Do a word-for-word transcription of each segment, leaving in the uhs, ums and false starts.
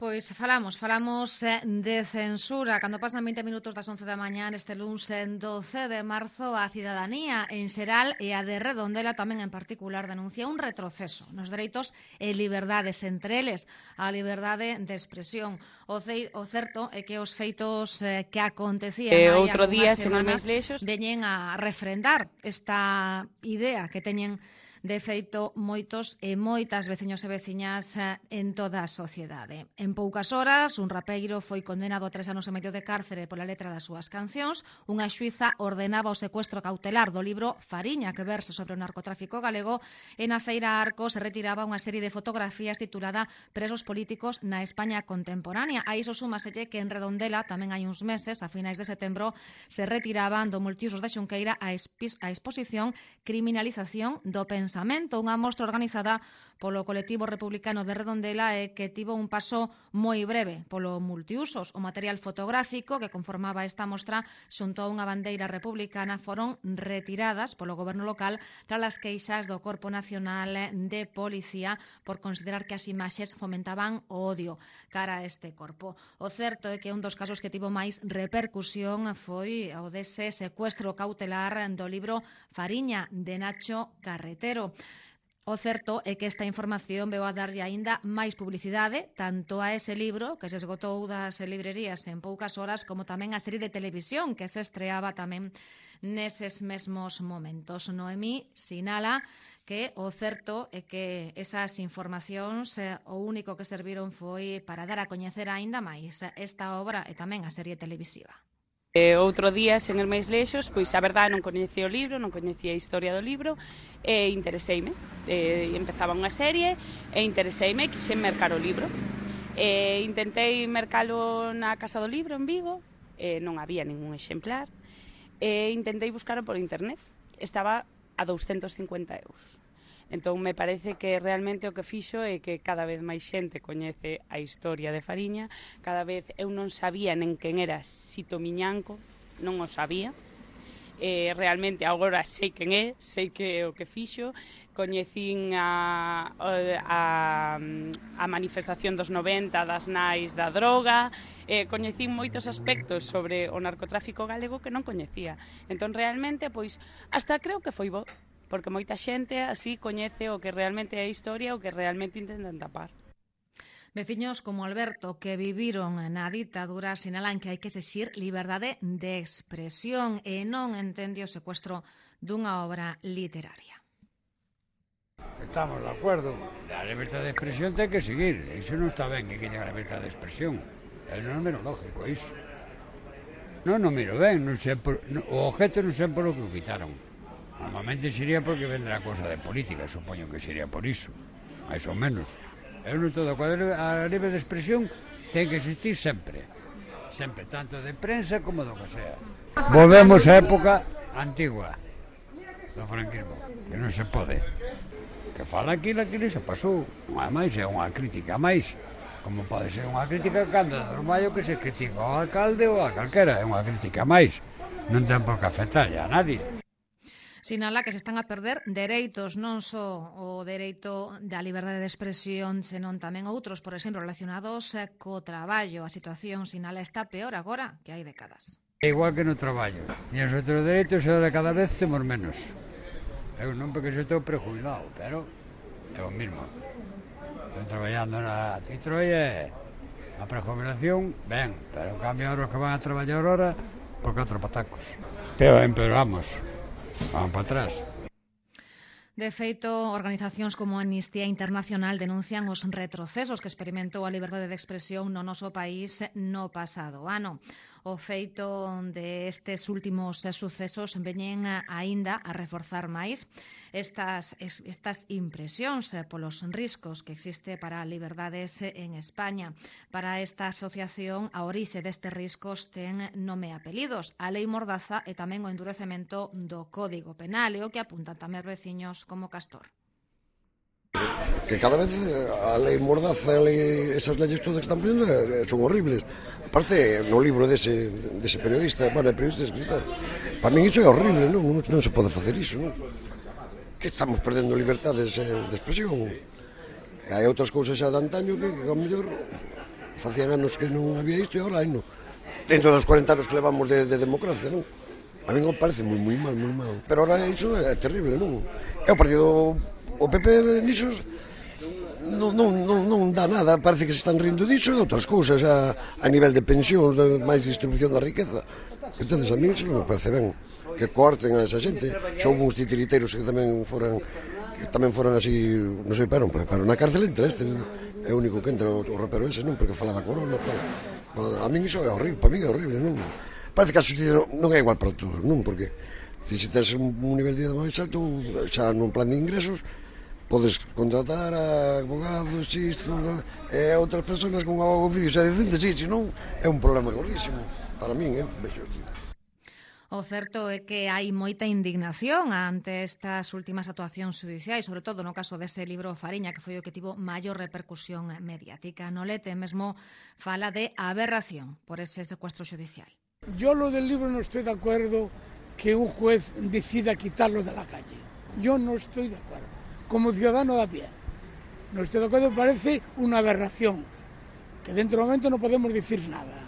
Pois falamos, falamos de censura. Cando pasan vinte minutos das once da mañá este luns doce de marzo, a cidadanía en xeral e a de Redondela tamén en particular denuncia un retroceso nos dereitos e liberdades, entre eles a liberdade de expresión. O, ce, o certo é que os feitos eh, que acontecían eh, hai outro día, algunhas semanas veñen a refrendar esta idea que teñen de feito moitos e moitas veciños e veciñas en toda a sociedade. En poucas horas, un rapeiro foi condenado a tres anos e medio de cárcere pola letra das súas cancións. Unha xuíza ordenaba o secuestro cautelar do libro Fariña, que verse sobre o narcotráfico galego, e na Feira Arco se retiraba unha serie de fotografías titulada Presos políticos na España contemporánea. A iso súmaselle que en Redondela, tamén hai uns meses, a finais de setembro, se retiraban do multiusos de Xunqueira a, a exposición Criminalización do Pensamento. Pensamento, unha mostra organizada polo colectivo republicano de Redondela e que tivo un paso moi breve polo multiusos. O material fotográfico que conformaba esta mostra xunto a unha bandeira republicana foron retiradas polo goberno local tras as queixas do Corpo Nacional de Policía por considerar que as imaxes fomentaban o odio cara a este corpo. O certo é que un dos casos que tivo máis repercusión foi o dese secuestro cautelar do libro Fariña de Nacho Carretero. O certo é que esta información veu a darlle aínda máis publicidade tanto a ese libro, que se esgotou das librerías en poucas horas, como tamén a serie de televisión que se estreaba tamén neses mesmos momentos. Noemí sinala que o certo é que esas informacións eh, o único que serviron foi para dar a coñecer aínda máis esta obra e tamén a serie televisiva. E outro día, sen ir máis lexos, pois a verdade non coñecía o libro, non coñecía a historia do libro e intereseime. E empezaba unha serie e intereseime e quixen mercar o libro. E intentei mercalo na Casa do Libro en Vigo, e non había ningún exemplar. E intentei buscalo por internet. Estaba a douscentos cincuenta euros. Entón, me parece que realmente o que fixo é que cada vez máis xente coñece a historia de Fariña. Cada vez eu non sabía nen quen era Sito Miñanco, non o sabía. Eh, realmente agora sei quen é, sei que é o que fixo. Coñecín a, a, a manifestación dos noventa das nais da droga, eh, coñecín moitos aspectos sobre o narcotráfico galego que non coñecía. Entón, realmente, pois, hasta creo que foi bo, porque moita xente así coñece o que realmente é a historia, o que realmente intentan tapar. Veciños como Alberto, que viviron na ditadura, sinalan que hai que exixir liberdade de expresión e non entende o secuestro dunha obra literaria. Estamos de acordo. A liberdade de expresión ten que seguir. Iso non está ben que quiten a liberdade de expresión. É non é lógico iso. Non o miro ben, non sei por, no, o objeto non sei por o que o quitaron. Normalmente sería porque vendrá cosa de política, supoño que sería por iso, máis ou menos. Eu non estou de acordo, a libre de expresión ten que existir sempre, sempre, tanto de prensa como do que sea. Volvemos á época antigua do franquismo, que non se pode. Que fala aquilo, aquilo se pasou, ademais é unha crítica máis, como pode ser unha crítica cando é normal que se critica ao alcalde ou a calquera, é unha crítica máis, non ten por que afectar a nadie. Sinala que se están a perder dereitos, non só o dereito da liberdade de expresión, senón tamén outros, por exemplo, relacionados co traballo. A situación, sinala, está peor agora que hai décadas. É igual que no traballo. Tienes outros dereitos e de cada vez temos menos. Eu non porque se estou prejubilado, pero é o mismo. Estou traballando na Citroën, a prejubilación, ben, pero en cambio os que van a traballar ahora, por catro patacos. Pero empeoramos. Vamos para atrás. De feito, organizacións como Amnistía Internacional denuncian os retrocesos que experimentou a liberdade de expresión no noso país no pasado ano. O feito de estes últimos sucesos veñen aínda a reforzar máis estas, estas impresións polos riscos que existe para a liberdades en España. Para esta asociación, a orixe destes riscos ten nome e apelidos, a Lei Mordaza e tamén o endurecemento do Código Penal, e o que apuntan tamén veciños como Castor. Que cada vez a lei Mordaza, a lei, esas leyes todas que están poniendo son horribles. Aparte, no libro dese, dese periodista, bueno, periodista escritor, para mí iso é horrible, non? Non, non se pode facer iso, non? Que estamos perdendo libertades de expresión. E hai outras cousas xa de antaño que, que ao mellor, facían anos que non había isto e agora hai non. Dentro dos cuarenta anos que levamos de, de democracia, non? A mí non parece moi, moi mal, moi mal. Pero ahora iso é terrible, non? É o partido, o P P nisos non, non, non, non dá nada, parece que se están rindo diso e de outras cousas, a, a nivel de pensións, de máis distribución da riqueza. Entonces a mí iso non me parece ben, que corten a esa xente. Xa houve uns titiriteiros que tamén foran, que tamén foran así, non sei, pero, pero na cárcel entra este, é o único que entra o, o rapero ese, non? Porque fala da corona, tal. A mí iso é horrible, para mí é horrible, non? Parece que a justicia non é igual para todos, non? Porque se tens un nivel de vida máis alto, xa nun plan de ingresos, podes contratar a abogados, isto, e a outras persoas con un abogado vídeo xa decente, sí, se non, é un problema gordísimo. Para min, eh, vexo aquí. O certo é que hai moita indignación ante estas últimas actuacións judiciais, sobre todo no caso dese libro Fariña, que foi o que tivo maior repercusión mediática. No Lete mesmo fala de aberración por ese secuestro judicial. Yo lo del libro no estoy de acuerdo que un juez decida quitarlo de la calle. Yo no estoy de acuerdo. Como ciudadano de a pie. No estoy de acuerdo, parece una aberración. Que dentro do momento non podemos dicir nada.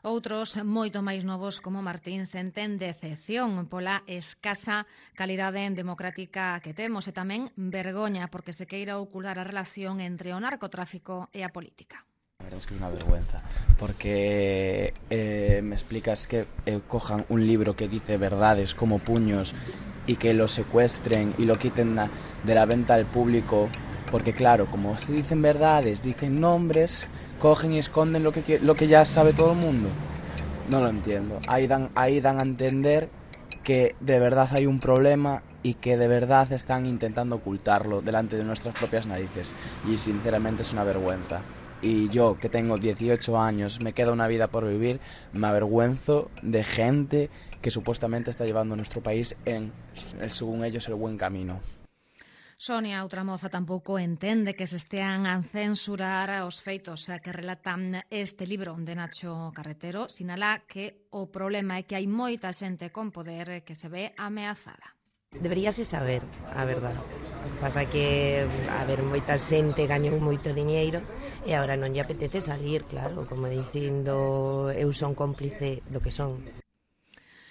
Outros, moito máis novos, como Martín, senten decepción pola escasa calidade democrática que temos e tamén vergoña porque se queira ocultar a relación entre o narcotráfico e a política. La verdad es que es una vergüenza, porque eh, me explicas que eh, cojan un libro que dice verdades como puños y que lo secuestren y lo quiten na, de la venta al público, porque claro, como se dicen verdades, dicen nombres, cogen y esconden lo que, lo que ya sabe todo el mundo. No lo entiendo. Ahí dan, ahí dan a entender que de verdad hay un problema y que de verdad están intentando ocultarlo delante de nuestras propias narices. Y sinceramente es una vergüenza. Y yo, que tengo dieciocho años, me queda una vida por vivir, me avergüenzo de gente que supuestamente está llevando a nuestro país en, según ellos, el buen camino. Sonia, outra moza, tampouco entende que se estean a censurar os feitos que relatan este libro de Nacho Carretero. Sinala que o problema é que hai moita xente con poder que se ve ameazada. Deberíase saber a verdade. Pasa que, a ver, moita xente gañou moito diñeiro e agora non lle apetece salir, claro, como dicindo eu son cómplice do que son.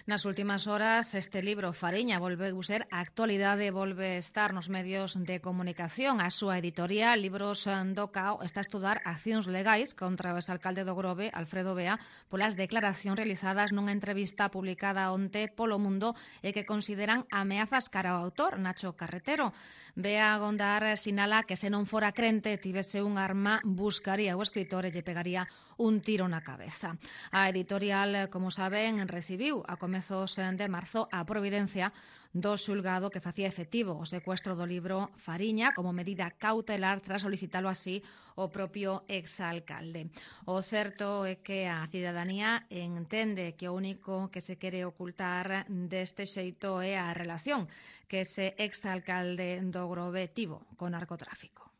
Nas últimas horas, este libro Fariña volve a ser a actualidade, volve a estar nos medios de comunicación. A súa editorial, Libros do Cao, está a estudar accións legais contra o exalcalde do Grove, Alfredo Bea, polas declaracións realizadas nunha entrevista publicada onte polo Mundo e que consideran ameazas cara ao autor, Nacho Carretero. Bea Gondar sinala que se non fora crente, tivese un arma, buscaría o escritor e lle pegaría un tiro na cabeza. A editorial, como saben, recibiu a comezos de marzo a providencia do xulgado que facía efectivo o secuestro do libro Fariña como medida cautelar tras solicitalo así o propio exalcalde. O certo é que a cidadanía entende que o único que se quere ocultar deste xeito é a relación que ese exalcalde do Grove tivo con narcotráfico.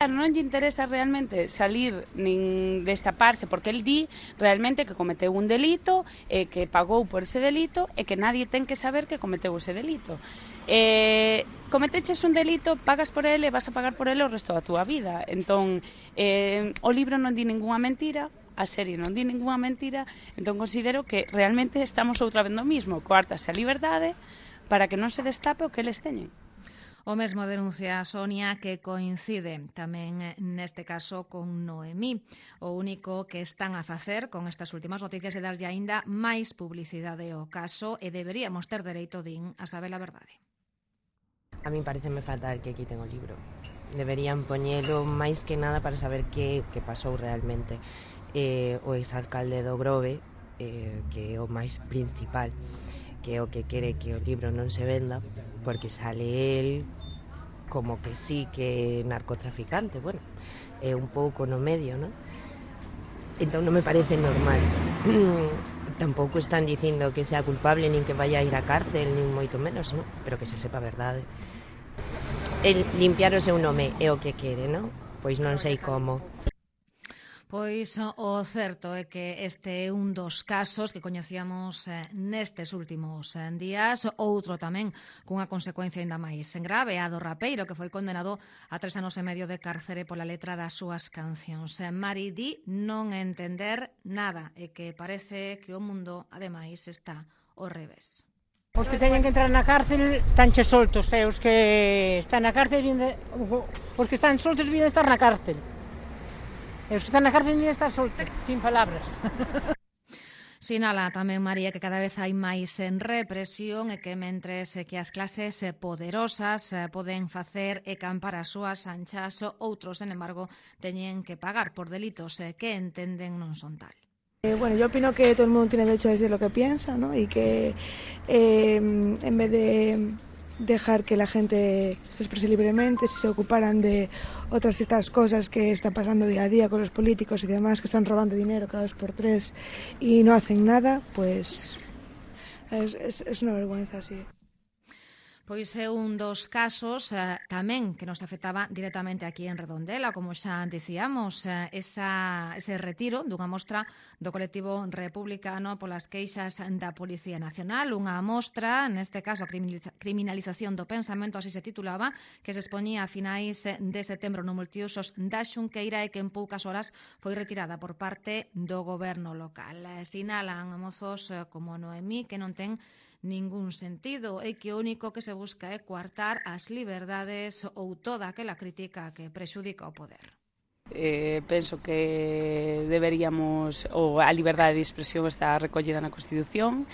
Non lle interesa realmente salir nin destaparse porque el di realmente que cometeu un delito e que pagou por ese delito e que nadie ten que saber que cometeu ese delito. Eh, cometeches un delito, pagas por ele e vas a pagar por ele o resto da túa vida. Entón, eh, o libro non di ninguna mentira, a serie non di ninguna mentira, entón considero que realmente estamos outra vez no mismo, coartase a liberdade para que non se destape o que eles teñen. O mesmo denuncia a Sonia, que coincide tamén neste caso con Noemí. O único que están a facer con estas últimas noticias é darlle aínda máis publicidade ao caso e deberíamos ter dereito, din, a saber a verdade. A mí pareceme fatal que quiten o libro. Deberían poñelo máis que nada para saber que, que pasou realmente. Eh, o exalcalde do Grove, eh, que é o máis principal, que é o que quere que o libro non se venda, porque sale el como que sí que é narcotraficante, bueno, é un pouco no medio, non? Entón non me parece normal. Tampouco están dicindo que sea culpable, nin que vaya a ir á cárcel, nin moito menos, non? Pero que se sepa a verdade. El limpiar o seu nome é o que quere, non? Pois non sei como. Pois o certo é que este é un dos casos que coñecíamos eh, nestes últimos eh, días, outro tamén cunha consecuencia ainda máis grave, a do rapeiro que foi condenado a tres anos e medio de cárcere pola letra das súas cancións. Eh, Mari di non entender nada e que parece que o mundo, ademais, está ao revés. Os que teñen que entrar na cárcel tanche soltos, e os que están na cárcel de... os que están soltos vienen estar na cárcel. E os que están na cárcel vienen estar soltos, sin palabras. Sinala tamén María que cada vez hai máis en represión e que mentres que as clases poderosas poden facer e campar as súas anchas, outros, sen embargo, teñen que pagar por delitos que entenden non son tal. Eh, bueno, yo opino que todo el mundo tiene derecho a decir lo que piensa, ¿no? Y que eh, en vez de dejar que la gente se exprese libremente, si se ocuparan de otras ciertas cosas que están pasando día a día con los políticos y demás, que están robando dinero cada dos por tres y no hacen nada, pues es, es, es una vergüenza, sí. Pois é un dos casos eh, tamén que nos afectaba directamente aquí en Redondela, como xa dicíamos, eh, esa, ese retiro dunha mostra do colectivo republicano polas queixas da Policía Nacional, unha mostra, neste caso a criminalización do pensamento, así se titulaba, que se expoñía a finais de setembro no multiusos da Xunqueira e que en poucas horas foi retirada por parte do goberno local. Sinalan mozos como Noemí que non ten ningún sentido e que o único que se busca é coartar as liberdades ou toda aquela crítica que prexudica o poder. Eh, penso que deberíamos, ou a liberdade de expresión está recollida na Constitución,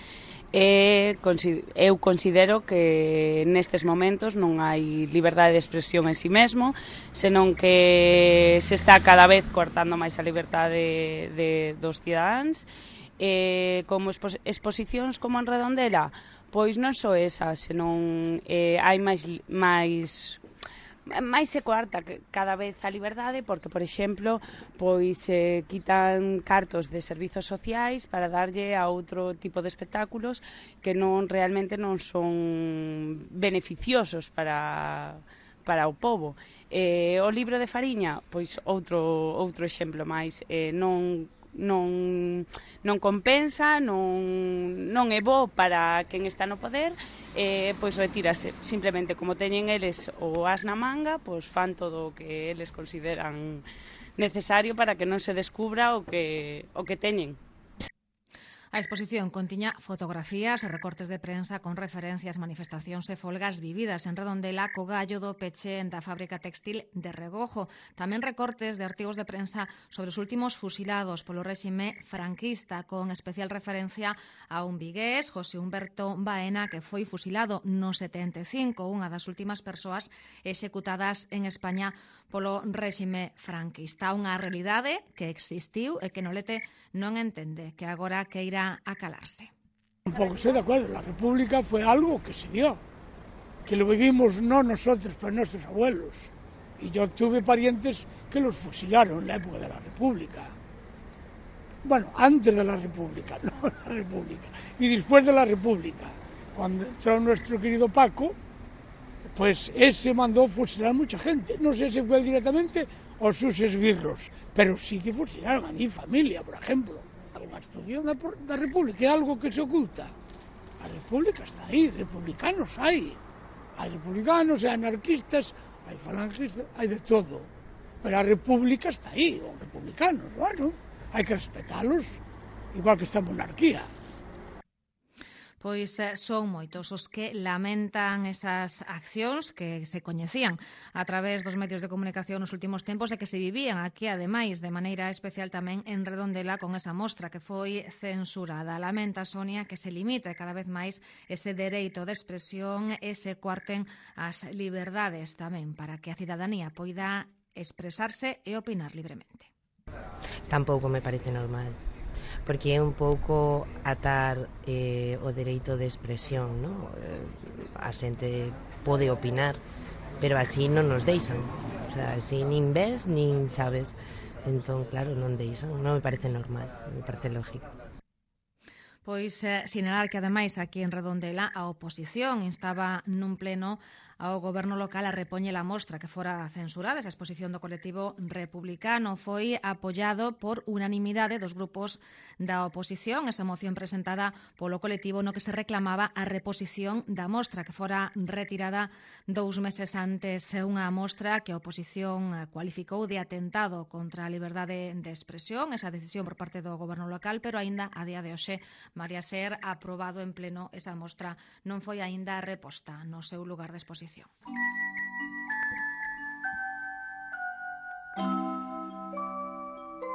e eu considero que nestes momentos non hai liberdade de expresión en si mesmo, senón que se está cada vez coartando máis a liberdade de, dos cidadáns. Eh, como expos exposicións como en Redondela, pois non só esas, senón eh, hai máis, máis, máis se coarta cada vez a liberdade, porque, por exemplo, pois se eh, quitan cartos de servizos sociais para darlle a outro tipo de espectáculos que non realmente non son beneficiosos para, para o pobo. Eh, o libro de Fariña, pois outro, outro exemplo máis, eh, non non non compensa, non non é bo para quen está no poder, eh, pois retírase. Simplemente como teñen eles o as na manga, pois fan todo o que eles consideran necesario para que non se descubra o que o que teñen. A exposición contiña fotografías e recortes de prensa con referencias, manifestacións e folgas vividas en Redondela co gallo do peche da fábrica textil de Regojo. Tamén recortes de artigos de prensa sobre os últimos fusilados polo réxime franquista, con especial referencia a un vigués, José Humberto Baena, que foi fusilado no setenta e cinco, unha das últimas persoas executadas en España polo réxime franquista. Unha realidade que existiu e que Nolete non entende, que agora queira a calarse. Tampoco estoy de acuerdo, la República fue algo que se dio, que lo vivimos no nosotros, pero nuestros abuelos. Y yo tuve parientes que los fusilaron en la época de la República. Bueno, antes de la República, no la República. Y después de la República, cuando entró nuestro querido Paco, pues ese mandó fusilar mucha gente. No sé si fue directamente o sus esbirros, pero sí que fusilaron a mi familia, por ejemplo. A explosión da, da República é algo que se oculta. A República está aí, republicanos hai. Hai republicanos, hai anarquistas, hai falangistas, hai de todo. Pero a República está aí, os republicanos, bueno, hai que respetalos, igual que esta monarquía. Pois son moitos os que lamentan esas accións que se coñecían a través dos medios de comunicación nos últimos tempos e que se vivían aquí, ademais, de maneira especial tamén en Redondela con esa mostra que foi censurada. Lamenta, Sonia, que se limite cada vez máis ese dereito de expresión e se coarten as liberdades tamén para que a cidadanía poida expresarse e opinar libremente. Tampouco me parece normal, porque é un pouco atar eh, o dereito de expresión, ¿no? A xente pode opinar, pero así non nos deixan, o sea, así nin ves, nin sabes, entón, claro, non deixan, non me parece normal, me parece lógico. Pois eh, sinalar que, ademais, aquí en Redondela a oposición instaba nun pleno ao goberno local a repoñer a mostra que fora censurada. Esa exposición do colectivo republicano foi apoiado por unanimidade dos grupos da oposición. Esa moción presentada polo colectivo no que se reclamaba a reposición da mostra que fora retirada dous meses antes, unha mostra que a oposición cualificou de atentado contra a liberdade de expresión, esa decisión por parte do goberno local, pero aínda a día de hoxe, María, ser aprobado en pleno esa mostra non foi aínda reposta no seu lugar de exposición.